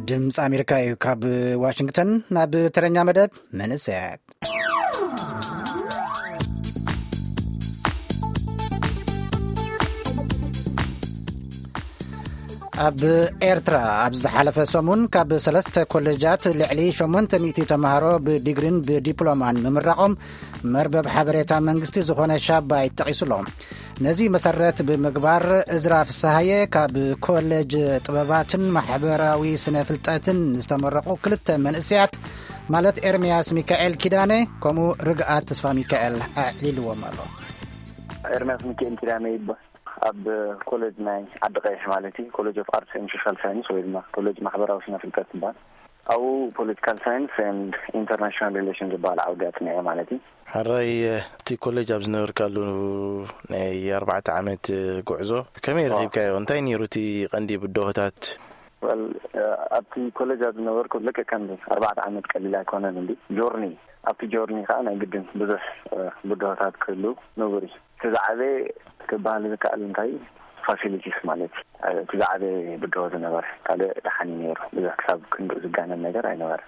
ድምፂ ኣሜሪካ እዩ። ካብ ዋሽንግተን ናብ ተረኛ መደብ መንእሰያት። ኣብ ኤርትራ ኣብ ዝሓለፈ ሰሙን ካብ ሰለስተ ኮሌጃት ልዕሊ ሸሞንተ ሚእቲ ተምሃሮ ብዲግሪን ብዲፕሎማን ምምራቖም መርበብ ሓበሬታ መንግስቲ ዝኾነ ሻባይ ጠቒሱሎ። ነዚ መሰረት ብምግባር እዝራ ፍስሃየ ካብ ኮሌጅ ጥበባትን ማሕበራዊ ስነ ፍልጠትን ዝተመረቑ ክልተ መንእሰያት ማለት ኤርምያስ ሚካኤል ኪዳነ ከምኡ ርግኣት ተስፋ ሚካኤል ኣዕሊልዎም ኣሎ። ኤርምያስ ሚካኤል ኪዳነ ይባል። ኣብ ኮሌጅ ናይ ዓዲ ቀይሕ ማለት እዩ፣ ኮሌጅ ኦፍ ኣርትስ ኤንድ ሶሻል ሳይንስ ወይ ድማ ኮሌጅ ማሕበራዊ ስነ ፍልጠት ይባል። ኣብኡ ፖለቲካል ሳይንስ ኤንድ ኢንተርናሽናል ሪሌሽን ዝበሃል ዓውዲ ኣፅኒዐ ማለት እዩ። ሕራይ፣ እቲ ኮሌጅ ኣብ ዝነበርካሉ ናይ ኣርባዕተ ዓመት ጉዕዞ ከመይ ረኺብካዮ? እንታይ ነይሩ እቲ ቀንዲ ብድሆታት? ወል ኣብቲ ኮሌጅ ኣብ ዝነበርኩ ልክዕ ከምዚ ኣርባዕተ ዓመት ቀሊል ኣይኮነን እንዲ ጆርኒ። ኣብቲ ጆርኒ ከዓ ናይ ግድን ብዙሕ ብድሆታት ክህሉ ንቡር እዩ። እቲ ዝዓበየ ክበሃል ዝከኣል እንታይ ፋሲሊቲስ ማለት እቲ ዝዓበየ ብድሆ ዝነበረ። ካልእ ደሓን እዩ ነይሩ፣ ብዙሕ ክሳብ ክንድኡ ዝጋነን ነገር ኣይነበረ።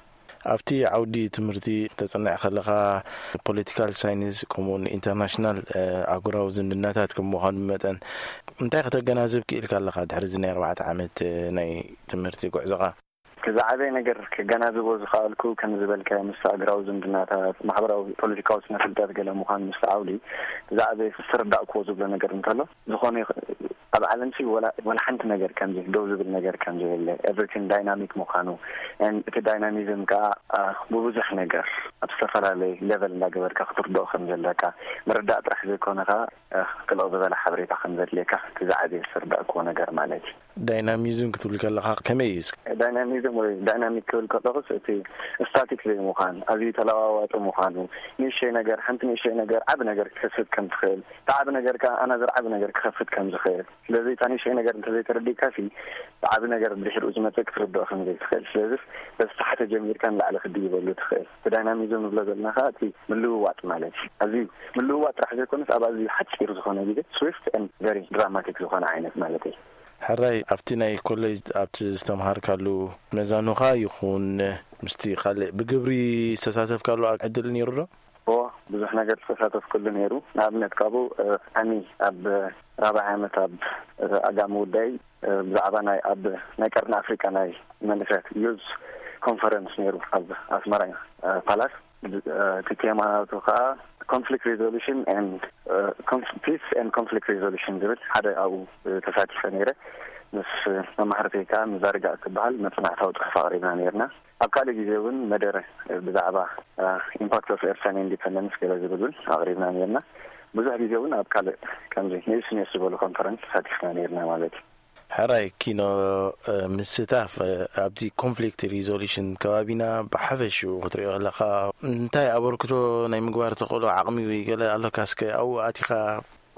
ኣብቲ ዓውዲ ትምህርቲ ተጽንዕ ከለኻ ፖለቲካል ሳይንስ ከምኡውን ኢንተርናሽናል ኣህጉራዊ ዝምድናታት ከም ምዃኑ መጠን እንታይ ከተገናዝብ ክኢልካ ኣለኻ ድሕሪ እዚ ናይ ኣርባዕተ ዓመት ናይ ትምህርቲ ጉዕዞኻ? እቲ ዝዓበየ ነገር ክገናዝቦ ዝኸኣልኩ ከም ዝበልካዮ ምስ ኣህጉራዊ ዝምድናታት፣ ማሕበራዊ ፖለቲካዊ ስነ ፍልጠት ገለ ምዃኑ ምስ ዓውዲ እቲ ዝዓበየ ዝተረዳእክዎ ዝብሎ ነገር እንተሎ ዝኾነ ይኽ- ኣብ ዓለም ሲ ወላ ሓንቲ ነገር ከምዚ ደው ዝብል ነገር ከም ዘየለ፣ ኤቭሪቲንግ ዳይናሚክ ምዃኑ፣ እቲ ዳይናሚዝም ከዓ ብብዙሕ ነገር ኣብ ዝተፈላለየ ሌቨል እንዳገበርካ ክትርድኦ ከም ዘለካ ምርዳእ ጥራሕ ዘይኮነ ከዓ ጥልቕ ዝበለ ሓበሬታ ከም ዘድልየካ እቲ ዝዓበየ ዝተረዳእክዎ ነገር ማለት እዩ። ዳይናሚዝም ክትብል ከለካ ከመይ እዩ? ዳይናሚዝም ወይ ዳይናሚክ ክብል ከለኩስ እቲ ስታቲክ ዘይምዃን፣ ኣዝዩ ተለዋዋጢ ምዃኑ፣ ንእሽተይ ነገር ሓንቲ ንእሽተይ ነገር ዓቢ ነገር ክትከስት ከም ትኽእል፣ እቲ ዓቢ ነገር ከዓ ኣናዘር ዓቢ ነገር ክኸፍት ከም ዝኽእል። ስለዚ እታ ንእሽተይ ነገር እንተዘይተረዲእካ ሲ ብዓቢ ነገር ብድሕሪኡ ዝመፅእ ክትርድኦ ከም ዘይትኽእል። ስለዚ በዚ ታሕቲ ጀሚርካ ንላዕሊ ክትድይበሉ ትኽእል። እቲ ዳይናሚዝም ንብሎ ዘለና ከዓ እቲ ምልውዋጥ ማለት እዩ። ኣዝዩ ምልውዋጥ ጥራሕ ዘይኮነስ ኣብ ኣዝዩ ሓፂር ዝኾነ ግዜ ስዊፍት ኤንድ ቨሪ ድራማቲክ ዝኾነ ዓይነት ማለት እዩ። ሕራይ ኣብቲ ናይ ኮሌጅ ኣብቲ ዝተምሃርካሉ መዛኑኻ ይኹን ምስቲ ካልእ ብግብሪ ዝተሳተፍካሉ ዕድል ነይሩ ዶ? እዎ፣ ብዙሕ ነገር ዝተሳተፍኩሉ ነይሩ። ንኣብነት ካብኡ ኣኒ ኣብ ራብዓይ ዓመት ኣብ ኣጋሚ ውዳይ ብዛዕባ ናይ ኣብ ናይ ቀርኒ ኣፍሪቃ ናይ መንእሰያት ዩዝ ኮንፈረንስ ነይሩ ኣብ ኣስመራ ፓላስ። እቲ ቴማ ናቱ ከዓ ኮንፍሊክት ሪዞሉሽን ፒስ ኤንድ ኮንፍሊክት ሪዞሉሽን ዝብል ሓደ ኣብኡ ተሳቲፈ ነይረ። ምስ መማህርተይ ከዓ ምዛርጋ እትበሃል መፅናዕታዊ ፅሑፍ ኣቕሪብና ነይርና። ኣብ ካልእ ግዜ እውን መደረ ብዛዕባ ኢምፓክት ኦፍ ኤርትራን ኢንዲፐንደንስ ገለ ዝብል እውን ኣቕሪብና ነይርና። ብዙሕ ግዜ እውን ኣብ ካልእ ከምዚ ንእስ ንእስ ዝበሉ ኮንፈረንስ ተሳቲፍና ነይርና ማለት እዩ። ሕራይ ኪኖ ምስታፍ ኣብዚ ኮንፍሊክት ሪዞሉሽን ከባቢና ብሓፈሽኡ ክትሪኦ ከለካ እንታይ ኣበርክቶ ናይ ምግባር ተኽእሎ ዓቕሚ ወይ ገለ ኣሎካ እስከ ኣብኡ ኣቲኻ?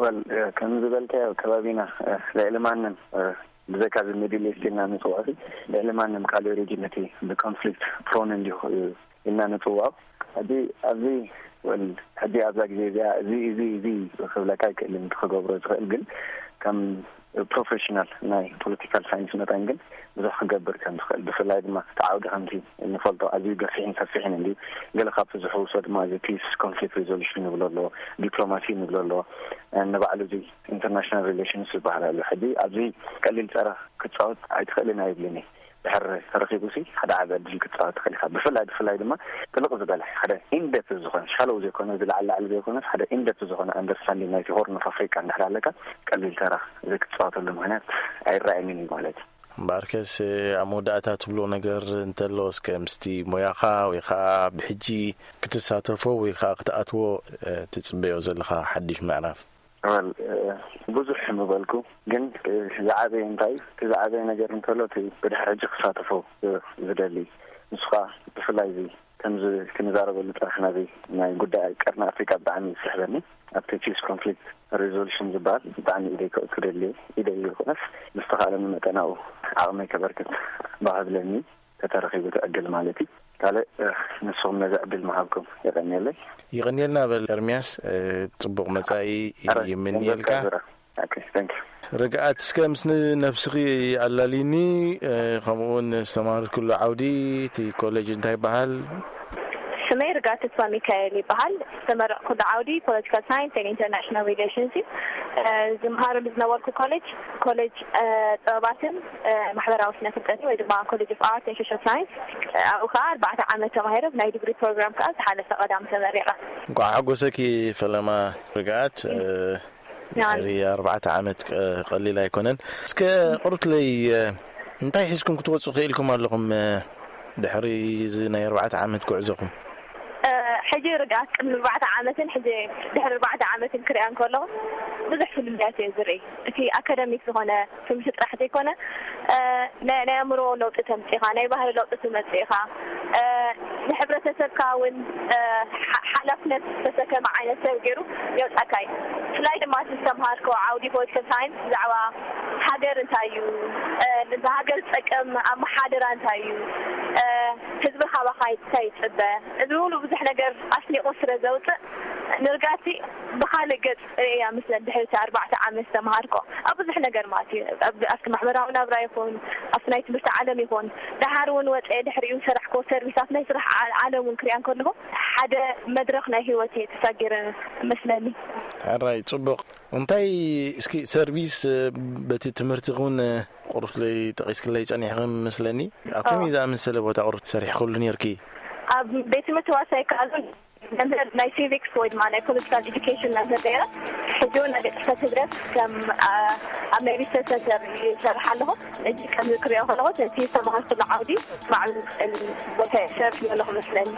ወል ከም ዝበልካዮ ከባቢና ልዕሊ ማንም ብዘይካ እዚ ሚድል ኢስት ኢልና ንፅውዖ ልዕሊ ማንም ካልእ ሪጅን እቲ ብኮንፍሊክት ፕሮን እንዲሁ ኢልና ንፅውዖ። ሕጂ ኣብዚ ወል ሕጂ ኣብዛ ግዜ እዚኣ እዚ እዚ እዚ ክብለካ ኣይክእልን ክገብሮ ዝኽእል ግን ከም ፕሮፌሽናል ናይ ፖለቲካል ሳይንስ መጠን ግን ብዙሕ ክገብር ከም ዝኽእል ብፍላይ ድማ እቲ ዓውዲ ከምቲ እንፈልጦ ኣዝዩ ገፊሕን ሰፊሕን እንዲ ገለ ካብቲ ዝሕውሶ ድማ እዚ ፒስ ኮንፍሊክት ሪዞሉሽን ንብሎ ኣሎ፣ ዲፕሎማሲ ንብሎ ኣሎ፣ ንባዕሉ እዚ ኢንተርናሽናል ሪሌሽንስ ዝበሃል ኣሎ። ሕጂ ኣብዚ ቀሊል ፀራ ክትፃወት ኣይትኽእልን ኣይብልን ድሕር ተረኪቡ ሲ ሓደ ዓቢ ዕድል ክትፃወት ትኽእል ኢኻ። ብፍላይ ብፍላይ ድማ ጥልቕ ዝበለ ሓደ ኢንደፕ ዝኾነ ሻሎው ዘይኮነ እዚ ላዕሊ ላዕሊ ዘይኮነስ ሓደ ኢንደፕ ዝኾነ ኣንደርስታንዲንግ ናይቲ ሆርን ኦፍ ኣፍሪቃ እንድሕር ኣለካ ቀሊል ተራ እዚ ክትፃወተሉ ምክንያት ኣይረኣየንን እዩ ማለት እዩ። እምበኣርከስ ኣብ መወዳእታ ትብሎ ነገር እንተሎ እስከ ምስቲ ሞያኻ ወይ ከዓ ብሕጂ ክትሳተፎ ወይ ከዓ ክትኣትዎ ትፅበዮ ዘለኻ ሓድሽ ምዕራፍ? ወል ብዙሕ ምበልኩ ግን ዝዓበየ እንታይ እቲ ዝዓበየ ነገር እንተሎ እቲ ብድሕሪ ሕጂ ክሳተፎ ዝደሊ ንሱ ከዓ ብፍላይ እዚ ከምዚ ክንዛረበሉ ጥራሕ ናዚ ናይ ጉዳይ ቀርኒ ኣፍሪቃ ብጣዕሚ እዩ ዝስሕበኒ። ኣብቲ ፒስ ኮንፍሊክት ሪዞሉሽን ዝበሃል ብጣዕሚ ኢደይ ክደሊ ኢደይ ይኹነስ ብዝተኻእለኒ መጠን ኣብኡ ዓቕመይ ከበርክት ባህ ብለኒ። ተተረኺቡ እቲ ዕድል ማለት እዩ። ካልእ ንስኹም ነዚ ዕድል ምሃብኩም የቐንየለይ። ይቐንየልና በል ኤርምያስ፣ ጽቡቕ መጻኢ ይምንየልካ። Okay, thank you. ርግኣት፣ እስከ ምስ ነብስኺ ኣላልይኒ፣ እ፣ ከምኡውን ዝተማሃርክሉ ዓውዲ፣ እቲ ኮሌጅ እንታይ ይበሃል? ስመይ ርግኣት ተስፋ ሚካኤል ይበሃል። ዝተመረቕኩሉ ዓውዲ ፖለቲካል ሳይንስ ኤንድ ኢንተርናሽናል ሪሌሽንስ እዩ። እ፣ ዝመሃረሉ ዝነበርኩ ኮሌጅ፣ ኮሌጅ፣ እ፣ ጥበባትን፣ እ፣ ማሕበራዊ ስነ ፍልጠትን ወይ ድማ ኮሌጅ ኦፍ ኣርት ኤንድ ሶሻል ሳይንስ። እ፣ ኣብኡ ከዓ ኣርባዕተ ዓመት ተማሂረ፣ ብናይ ዲግሪ ፕሮግራም ከዓ ዝሓለፈ ቀዳም ተመሪቐ። እንኳዕ ሓጎሰኪ ፈለማ ርግኣት። እ፣ ድሕሪ ኣርባዕተ ዓመት ቀ-፣ ቀሊል ኣይኮነን። እስከ ቁርብትለይ፣ እ፣ እንታይ ሒዝኩም ክትወፁ ክኢልኩም ኣለኹም፣ እ፣ ድሕሪ እዚ ናይ ኣርባዕተ ዓመት ጉዕዞኹም? እ፣ ሕጂ ርግኣት ቅድሚ ኣርባዕተ ዓመትን ሕጂ ድሕሪ ኣርባዕተ ዓመትን ክሪኣን ከለኹ ብዙሕ ፍልልያት እየ ዝርኢ። እቲ ኣካዳሚክ ዝኾነ ትምህርቲ ጥራሕ ዘይኮነ፣ እ፣ ናይ፣ ናይ ኣእምሮ ለውጢ ተምፅእ ኢኻ፣ ናይ ባህሪ ለውጢ ትመፅእ ኢኻ። እ፣ ንሕብረተሰብካ እውን፣ እ፣ ሓ-፣ ሓላፍነት ዝተሰከመ ዓይነት ሰብ ገይሩ የውፃእካ እዩ። ብፍላይ ድማ እቲ ዝተምሃርኮ ዓውዲ ፖለቲካል ሳይንስ ብዛዕባ ሃገር እንታይ እዩ፣ እ፣ ንዛ ሃገር ዝጠቅም ኣመሓደራ እንታይ እዩ፣ እ፣ ህዝቢ ካባኻ እንታይ ይፅበ፣ እዚ ሙሉ ብዙሕ ነገር ኣስኒቑ ስለ ዘውፅእ ንርጋቲ ብኻልእ ገፅ እያ ምስለን ድሕሪ እቲ ኣርባዕተ ዓመት ዝተምሃርኮ ኣብ ብዙሕ ነገር ማለት እዩ። ኣብ-፣ ኣብቲ ማሕበራዊ ናብራ ይኹን ኣብቲ ናይ ትምህርቲ ዓለም ይኹን፣ ደሓር እውን ወፀ ድሕሪኡ ዝሰራሕኮ ሰርቪሳት ናይ ስራሕ ዓ-፣ ዓለም እውን ክሪኣን ከለኹ ሓደ መድረኽ ናይ ህይወት እየ ተሳጊረ መስለኒ። ሕራይ፣ ፅቡቕ። እንታይ እስኪ ሰርቪስ፣ እ፣ በቲ ትምህርቲ እውን፣ እ፣ ቁሩብ ለይ ጠቒስክለይ ጸኒሕኺ መስለኒ። ኣብ ከመይ ኦ። ዝኣመሰለ ቦታ ቁሩብ ሰሪሕክሉ ነይርኪ? ኣብ ቤት ትምህርቲ ዋሳ ይከኣሉ መምህር ናይ ሲቪክስ ወይ ድማ ናይ ፖለቲካል ኤዱኬሽን መምህር ነይረ። ሕጂ እውን ኣብ ቤት ጽሕፈት ህግደፍ ከም፣ አ፣ ኣብ ናይ ሪሰርች ሰንተር ይሰርሕ ኣለኹ። ሕጂ ከም ዝክሪኦ ከለኹ እቲ ዝተማሃርኩሉ ዓውዲ ማዕብል ቦታ ይሰርሕ ዘለኹ መስለኒ።